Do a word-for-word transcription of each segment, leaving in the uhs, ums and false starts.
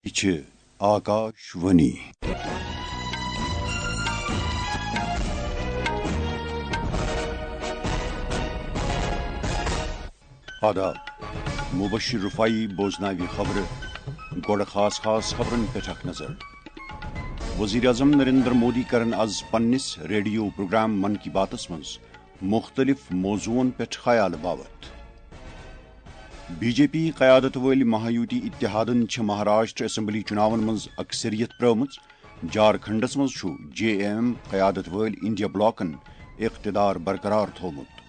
یہِ چھِ آکاش وانی۔ آداب۔ مبشر رفاعی بوزناوِ خبرٕ۔ گۄڈٕ خاص خاص خبرن پٮ۪ٹھ اکھ نظر۔ وزیر اعظم نریندر مودی کرن آز پننِس ریڈیو پروگرام من کی باتس منٛز مُختٔلِف موضوعن پٮ۪ٹھ خیال باوتھ۔ بی جے پی قیادت وٲلۍ مہایوتی اتحادن چھِ مہاراشٹر اسمبلی چُناون منٛز اکثریت پرٲومٕژ۔ جھارکھنڈس منٛز چھُ جے ایم ایم قیادت وٲلۍ انڈیا بلاکن اقتدار برقرار تھوومُت۔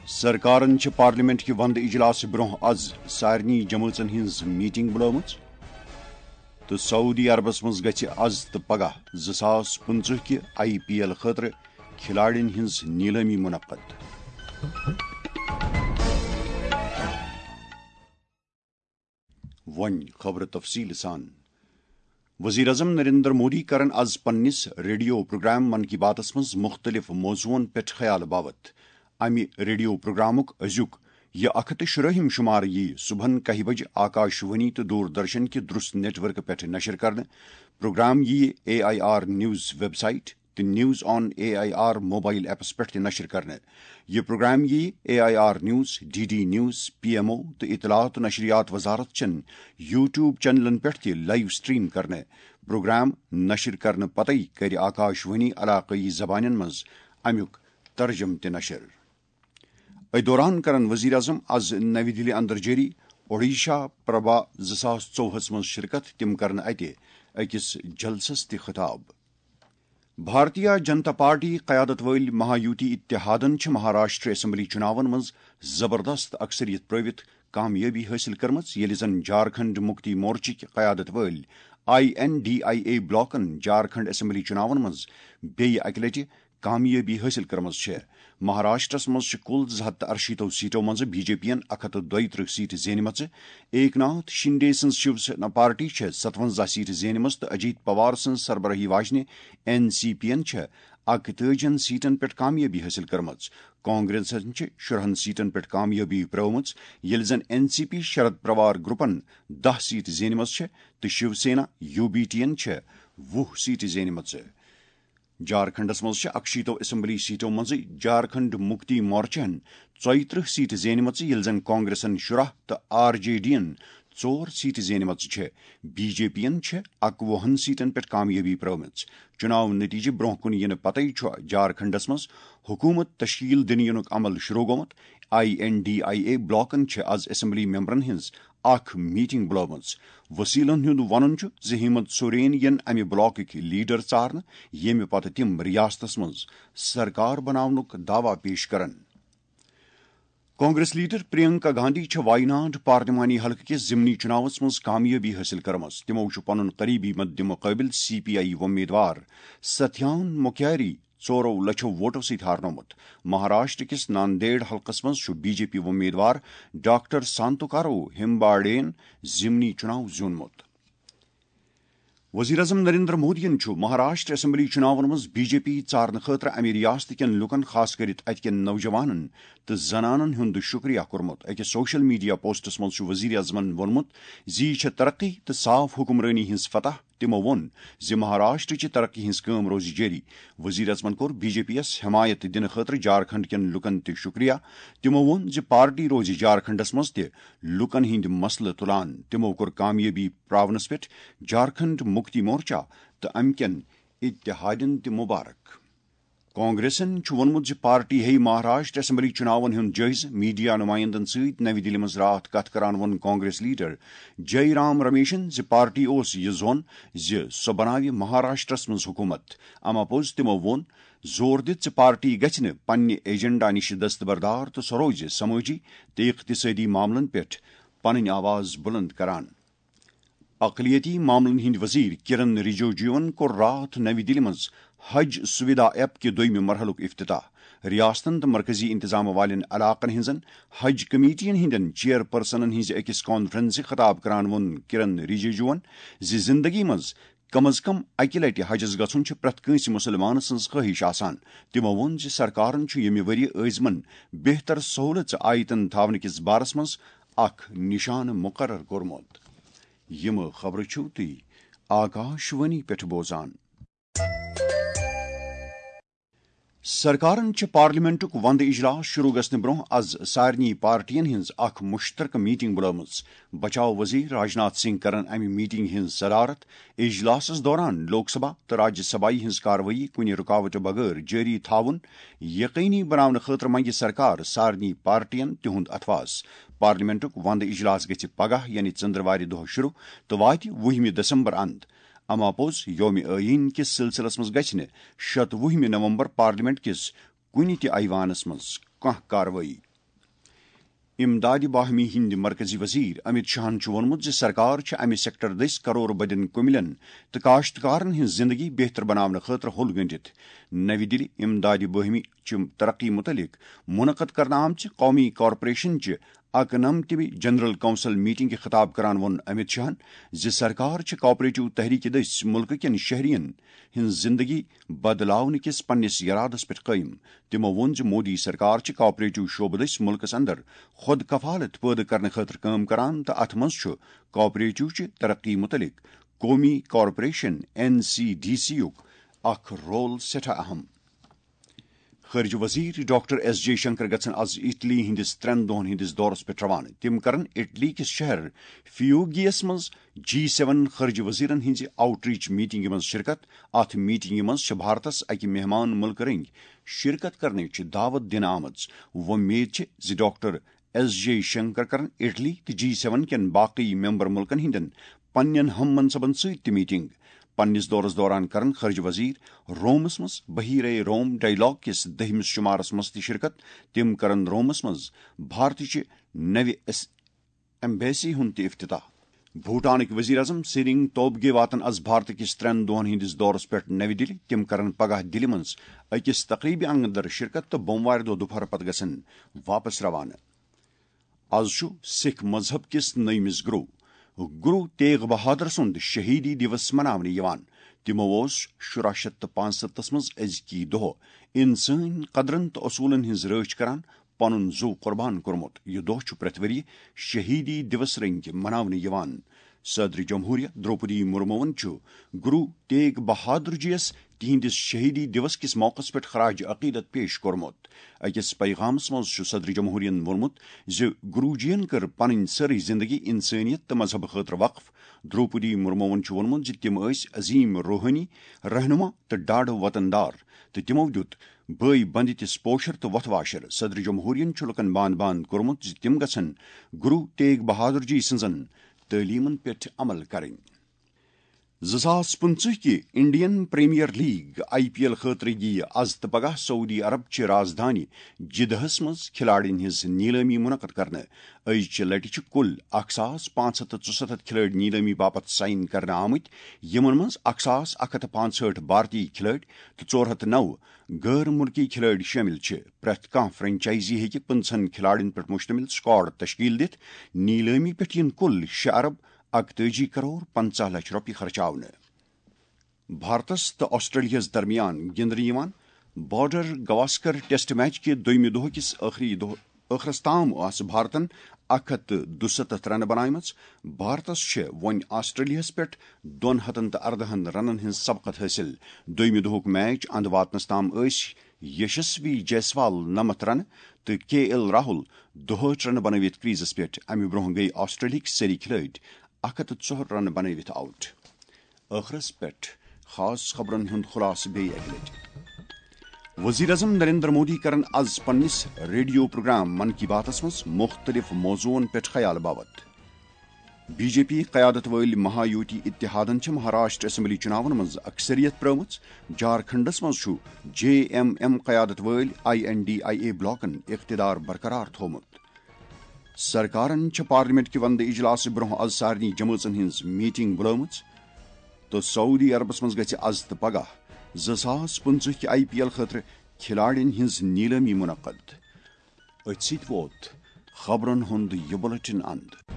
سرکارن چھِ پارلیمنٹ کہِ وندٕ اجلاسہٕ برونٛہہ از سارنٕے جمٲژن ہٕنٛز میٹنگ بُلٲومٕژ۔ تہٕ سعودی عربس منٛز گژھِ از تہٕ پگاہ زٕ ساس پٕنٛژٕہ کہِ آئی پی ایل خٲطرٕ کھلاڑین ہٕنٛز نیلٲمی منعقد۔ وۄنۍ خبرٕ تفصیٖل سان۔ وزیر اعظم نریندر مودی کرن از پننِس ریڈیو پروگرام من کی باتس منٛز مُختٔلِف موضوعن پٮ۪ٹھ خیال باوتھ۔ امہِ ریڈیو پروگرامُک أزیُک یہِ اکھ ہتھ تہٕ شُراہِم شُمارٕ یِیہِ صبحن کاہہِ بجہِ آکاش وانی تہٕ دوردرشن کہِ درست نیٹ ورکہٕ پٮ۪ٹھ نشر کرنہٕ۔ پروگرام یِیہِ A I R news website تہٕ news on A I R mobile apps پٮ۪ٹھ تہِ نشر کرنہٕ۔ یہِ پروگرام یِیہِ A I R news, D D news, P M O تہٕ اطلاعات و نشریات وزارت چٮ۪ن یوٹیوب چینلن پٮ۪ٹھ تہِ لائیو سٹریم کرنہٕ۔ پروگرام نشر کرنہٕ پتے کرِ آکاش وانی علاقٲیی زبانن منٛز امیُک ترجمہٕ تہِ نشر۔ أتھۍ دوران کرن وزیر اعظم از نَوِ دِلہِ اندر جٲری اوڈیشہ پربھا زٕ ساس ژوٚوُہس منٛز شرکت۔ تِم کرن اتہِ أکِس جلسس تہِ خطاب۔ بھارتیہ جنتا پارٹی قیادت وٲلۍ مہایوتی اتحادن چھِ مہاراشٹر اسمبلی چُناون منٛز زبردست اکثریت پرٲوِتھ کامیٲبی حٲصِل کٔرمٕژ، ییٚلہِ زن جھارکھنڈ مُکتی مورچٕکۍ قیادت وٲلۍ I N D I A بلاکن جھارکھنڈ اسمبلی چُناون منٛز بیٚیہِ اکہِ لٹہِ کامیٲبی حٲصِل کٔرمٕژ چھےٚ۔ مہاراشٹرس منٛز چھِ کُل زٕ ہتھ تہٕ ارشیٖتو سیٹو منٛز بی جے پی ین اکھ ہتھ تہٕ دۄیہِ ترٕٛہ سیٹ زینمژٕ۔ ایک ناتھ شنڈے سٕنٛز شیو سینا پارٹی چھےٚ ستونزہ سیٹ زینمژٕ تہٕ اجیت پوار سٕنٛز سربراہی واجنہِ این سی پی ین چھےٚ اکتٲجی سیٹن پٮ۪ٹھ کامیٲبی حٲصِل کٔرمٕژ۔ کانگریسن چھِ شُرہن سیٹن پٮ۪ٹھ کامیٲبی پرٲومٕژ، ییٚلہِ زن N C P Sharad Pawar گروپن دَہ سیٹ زینمژٕ چھےٚ تہٕ Shiv Sena U B T ین چھےٚ وُہ سیٹ زینمژٕ۔ جھارکھنڈس منٛز چھِ اکشیٖتو اسمبلی سیٹو منٛزٕے جھارکھنڈ مُکتی مورچہن ژۄیہِ ترٕٛہ سیٹ زینمژٕ، ییٚلہِ زن کانگریسن شُراہ تہٕ آر جے ڈی ین ژور سیٹ زینمژٕ چھےٚ۔ بی جے پی ین چھےٚ اکوُہن سیٹن پٮ۪ٹھ کامیٲبی پرٲومٕژ۔ چُناو نتیجہٕ برونٛہہ کُن یِنہٕ پتے چھُ جھارکھنڈس منٛز حکومت تشکیل دِنہٕ یِنُک عمل شروع گوٚمُت۔ I N D I A بلاکن چھِ از اسمبلی ممبرن ہٕنٛز اکھ میٹنگ بُلٲومٕژ۔ وسیلن ہُنٛد ونُن چھُ زِ ہیمنت سورین یِن امہِ بلاکٕکۍ لیڈر ژارنہٕ، ییٚمہِ پتہٕ تِم ریاستس منٛز سرکار بناونُک دعویٰ پیش کرن۔ کانگریس لیڈر پرینکا گاندھی چھےٚ وایناڈ پارلیمانی حلقہٕ کِس ضمنی چُناوس منٛز کامیٲبی حٲصِل کٔرمٕژ۔ تِمو چھُ پنُن قریبی مد مقٲبل سی پی آئی امیدوار ستھیان مکھیاری ژورو لچھو ووٹو سۭتۍ ہارنومُت۔ مہاراشٹر کِس ناندیڑ حلقس منٛز چھُ بی جے پی امیدوار ڈاکٹر سانتوکارو ہمباڑین ضمنی چُناو زیوٗنمُت۔ وزیر اعظم نریندر مودیَن چھُ مہاراشٹر اسمبلی چُناون منٛز بی جے پی ژارنہٕ خٲطرٕ امہِ ریاست کٮ۪ن لوٗکَن، خاص کٔرِتھ اتہِ کٮ۪ن نوجوانَن تہٕ زنانَن ہُنٛد شُکریہ کوٚرمُت۔ أکِس سوشل میڈیا پوسٹَس منٛز چھُ وزیر اعظمَن ووٚنمُت زِ یہِ چھےٚ ترقی تہٕ صاف حکمرٲنی ہٕنٛز فتح۔ تِمَو ووٚن زِ مہاراشٹر چہِ ترقی ہٕنٛز کٲم روزِ جٲری۔ وزیر اعظمَن کوٚر بی جے پی یَس حمایت دِنہٕ خٲطرٕ جھارکھنڈ کٮ۪ن لوٗکَن تہِ شُکریہ۔ تِمَو ووٚن زِ پارٹی روزِ جھارکھنڈَس منٛز تہِ لوٗکَن ہٕنٛدۍ مسلہٕ تُلان۔ تِمَو کوٚر کامیٲبی پراونس پٮ۪ٹھ جھارکھنڈ مُکتی مورچہ تہٕ امہِ کٮ۪ن اتحادن تہِ مبارک۔ کانگریسن چھُ ووٚنمُت زِ پارٹی ہیٚیہِ مہاراشٹر اسمبلی چُناون ہُنٛد جٲیزٕ۔ میڈیا نمائندن سۭتۍ نَوِ دِلہِ منٛز راتھ کتھ کران ووٚن کانگریس لیڈر جے رام رمیشن زِ پارٹی اوس یہِ زون زِ سۄ بناوِ مہاراشٹرس منٛز حکومت۔ اما پوٚز تِمو ووٚن، زور دِتھ زِ پارٹی گژھِ نہٕ پننہِ ایجنڈا نِش دستبردار تہٕ سۄ روزِ سمٲجی تہٕ اقتصٲدی معاملن پٮ۪ٹھ پنٕنۍ آواز بُلند کران۔ اقلیتی معاملن ہٕنٛدۍ وزیر کرن رجیجوَن کوٚر راتھ نَوِ دِلہِ منٛز حج سویدھا ایپ کہِ دوٚیمہِ مرحلُک افتتاح۔ ریاستن تہٕ مرکزی انتظام والٮ۪ن علاقن ہٕنٛزن حج کمیٹین ہٕنٛدٮ۪ن چیئرپرسنن ہٕنٛزِ أکِس کانفرنسہِ خطاب کران ووٚن کرن رجیجوَن زِ زندگی منٛز کم از کم اکہِ لٹہِ حجس گژھُن چھُ پرٛٮ۪تھ کٲنٛسہِ مُسلمان سٕنٛز خٲہِش آسان۔ تِمو ووٚن زِ سرکارن چھُ ییٚمہِ ؤرۍ یہِ ٲزمن بہتر سہولژٕ آیتن تھاونہٕ کِس بارس منٛز اکھ نشانہٕ مُقرر کوٚرمُت۔ یِم خبرٕ چھِو تُہۍ آکاش وانی پٮ۪ٹھ بوزان۔ سرکارن چھِ پارلیمنٹُک وندٕ اجلاس شروع گژھنہٕ برونٛہہ از سارنٕے پارٹین ہٕنٛز اکھ مشترکہٕ میٹنگ بُلٲومٕژ۔ بچاو وزیر راجناتھ سنگھ کرن امہِ میٹنگ ہٕنٛز صدارت۔ اجلاسس دوران لوک سبھا تہٕ راجیہ سبھایہ ہٕنٛز کاروٲیی کُنہِ رُکاوٹہٕ بغٲر جٲری تھاوُن یقینی بناونہٕ خٲطرٕ منگہِ سرکار سارنٕے پارٹین تِہُنٛد اتھواس۔ پارلیمنٹُک وندٕ اجلاس گژھِ پگاہ یعنی ژٔندروارِ دۄہ شروع تہٕ واتہِ وُہمہِ دسمبر اند۔ اما پوٚز یوم آئین کِس سلسلس منٛز گژھِ نہٕ شتوُہمہِ نومبر پارلیمنٹ کِس کُنہِ تہِ ایوانس منٛز کانٛہہ کاروٲیی۔ امدادِ باہمی ہٕنٛدۍ مرکزی وزیر امت شاہن چھُ ووٚنمُت زِ سرکار چھِ امہِ سیکٹر دٔسۍ کرور بدین کُملین تہٕ کاشتکارن ہٕنٛز زندگی بہتر بناونہٕ خٲطرٕ ہوٚل گٔنٛڈِتھ۔ نَوِ دِلہِ امدادِ باہمی چہِ ترقی مُتعلق منعقد کرنہٕ آمژِ قومی کارپوریشن چہِ اکنمتمہِ جنرل کونسل میٹنگہِ خطاب کران ووٚن امت شاہن زِ سرکار چھِ کوآپریٹو تحریکہِ دٔسۍ مُلکہٕ کٮ۪ن شہرین ہٕنٛز زندگی بدلاونہٕ کِس پننِس یرادس پٮ۪ٹھ قٲیِم۔ تِمو ووٚن زِ مودی سرکار چھِ کوآپریٹو شعبہٕ دٔسۍ مُلکس اندر خود کفالت پٲدٕ کرنہٕ خٲطرٕ کٲم کران تہٕ اتھ منٛز چھُ کوآپریٹو چہِ ترقی مُتعلق قومی corporation, N C D C, یُک اکھ رول سٮ۪ٹھاہ اہم۔ خارجہ وزیر ڈاکٹر ایس جے شنکر گژھن از اٹلی ہٕنٛدِس ترٛٮ۪ن دۄہن ہٕنٛدِس دورس پٮ۪ٹھ روانہٕ۔ تِم کرن اٹلی کِس شہر فیوگیس منٛز جی سیون خارجہ وزیرن ہٕنٛزِ آؤٹ ریچ میٹنگہِ منٛز شرکت۔ اتھ میٹنگہِ منٛز چھِ بھارتس اکہِ مہمان مُلکہٕ رٔنگۍ شرکت کرنٕچ دعوت دِنہٕ آمٕژ۔ وۄمید چھِ زِ ڈاکٹر ایس جے شنکر کرن اٹلی تہٕ جی سیون کٮ۪ن باقی ممبر مُلکن ہٕنٛدٮ۪ن پننٮ۪ن ہم منصبن سۭتۍ تہِ میٹنگ۔ پننِس دورس دوران کرن خارجہ وزیر رومس منٛز بحیرہ روم ڈائیلاگ کِس دٔہمِس شمارس منٛز تہِ شرکت۔ تِم کرن رومس منٛز بھارتٕچہِ نوِ ایس-، ایمبیسی ہُنٛد تہِ افتتاح۔ بھوٹانٕکۍ وزیر اعظم سیرنگ توبگے واتن از بھارت کِس ترٛٮ۪ن دۄہن ہٕنٛدِس دورس پٮ۪ٹھ نوِ دِلہِ۔ تِم کرن پگاہ دِلہِ منٛز أکِس تقریبہِ اندر شرکت تہٕ بوموارِ دۄہ دُپہر پتہٕ گژھن واپس روانہٕ۔ از چھُ سکھ مذہب کِس نٔیمِس گرو، گرو تیغ بہادر سُنٛد شہیدی دیوس مناونہٕ یِوان۔ تِمو اوس شُراہ شیٚتھ تہٕ پانٛژستتھس منٛز أزکی دۄہ انسٲنی قدرن تہٕ اصوٗلن ہٕنٛز رٲچھ کران پنُن زُو قربان کوٚرمُت۔ یہِ دۄہ چھُ پرٛٮ۪تھ ؤرۍ یہِ شہیدی دیوس رٔنگۍ مناونہٕ یِوان۔ صدر جمہوریہ درٛوپدی مرموٗوَن چھُ گرو تیغ بہادر جی یَس تِہنٛدِس شہیدی دیوس کِس موقعس پٮ۪ٹھ خراج عقیدت پیش کوٚرمُت۔ أکِس پیغامس منٛز چھُ صدر جمہوریہن ووٚنمُت زِ گرو جی ین کٔر پنٕنۍ سٲرٕے زندگی انسٲنیت تہٕ مذہب خٲطرٕ وقف۔ درٛوپدی مرموٗوَن چھُ ووٚنمُت زِ تِم ٲسۍ عظیم روحٲنی رہنما تہٕ ڈاڈٕ وطن دار، تہٕ تِمو دیُت بٲے بندِ تِس پوشر تہٕ وۄتھٕ واشر۔ صدر جمہوریہن چھُ لوٗکن باند باند کوٚرمُت زِ تِم گژھن گرو تیغ بہادر جی سٕنٛزن تعلیمن پٮ۪ٹھ عمل کرٕنۍ۔ زٕ ساس پٕنٛژٕہ کہِ Indian premier league, I P L, خٲطرٕ یِیہِ از تہٕ پگاہ سعودی عرب چہِ رازدٲنۍ جدہس منٛز کھلاڑین ہٕنٛز نیلٲمی منعقد کرنہٕ۔ أزچہِ لٹہِ چھِ کُل اکھ ساس پانٛژھ ہتھ تہٕ ژُستتھ کھلٲڑۍ نیلٲمی باپتھ سائن کرنہٕ آمٕتۍ، یِمن منٛز اکھ ساس اکھ ہتھ تہٕ پانٛژہٲٹھ بھارتی کھلٲڑۍ تہٕ ژور ہتھ تہٕ نَو غٲر مُلکی کھلٲڑۍ شٲمِل چھِ۔ پرٛٮ۪تھ کانٛہہ فرنچائزی ہیٚکہِ پٕنٛژٕہن کھلاڑین پٮ۪ٹھ مشتمل سکواڈ تشکیل دِتھ۔ نیلٲمی پٮ۪ٹھ یِن کُل شےٚ ارب اکتٲجی کرور پنٛژاہ لچھ رۄپیہِ خرچاونہٕ۔ بھارتس تہٕ آسٹریلیاہس درمیان گِنٛدنہٕ یِوان بارڈر گواسکر ٹیسٹ میچ کہِ دوٚیمہِ دۄہ کِس ٲخری دۄہ، ٲخرس تام آسہٕ بھارتن اکھ ہتھ تہٕ دُستتھ رنہٕ بناومژٕ۔ بھارتس چھےٚ وۄنۍ آسٹریلیاہس پٮ۪ٹھ دۄن ہتن تہٕ اردہن رنن ہٕنٛز سبقت حٲصِل۔ دوٚیمہِ دۄہُک میچ اند واتنس تام ٲسۍ یشسوی جیسوال نمتھ رنہٕ تہٕ کے ایل راہل دُہٲٹھ رنہٕ بنٲوِتھ کریزس پٮ۪ٹھ۔ امہِ برونٛہہ گٔیہِ آسٹریلیاہٕکۍ سٲری کھلٲڑۍ اکھ ہتھ تہٕ ژُہٲٹھ رنہٕ بنٲوِتھ آؤٹ۔ ٲخرس پٮ۪ٹھ خاص خبرن ہُنٛد خلاصہٕ بیٚیہِ اکہِ لٹہِ۔ وزیر اعظم نریندر مودی کرن از پننِس ریڈیو پروگرام من کی باتس منٛز مختلف موضوعن پٮ۪ٹھ خیال باوت۔ بی جے پی قیادت وٲلۍ مہایوتی اتحادن چھِ مہاراشٹر اسمبلی چُناون منٛز اکثریت پرٲومٕژ۔ جھارکھنڈس منٛز چھُ جے ایم ایم قیادت وٲلۍ I N D I A بلاکن اقتدار برقرار تھوومُت۔ سرکارن چھِ پارلیمنٹ کہِ وندٕ اجلاسہٕ برونٛہہ از سارنٕے جمٲژن ہٕنٛز میٹنگ بُلٲومٕژ تہٕ سعودی عربس منٛز گژھِ از تہٕ پگاہ زٕ ساس پٕنٛژٕہ کہِ آئی پی ایل خٲطرٕ کھلاڑین ہٕنٛز نیلٲمی منعقد۔ أتھۍ سۭتۍ ووت خبرن ہُنٛد یہِ بُلٹن اند۔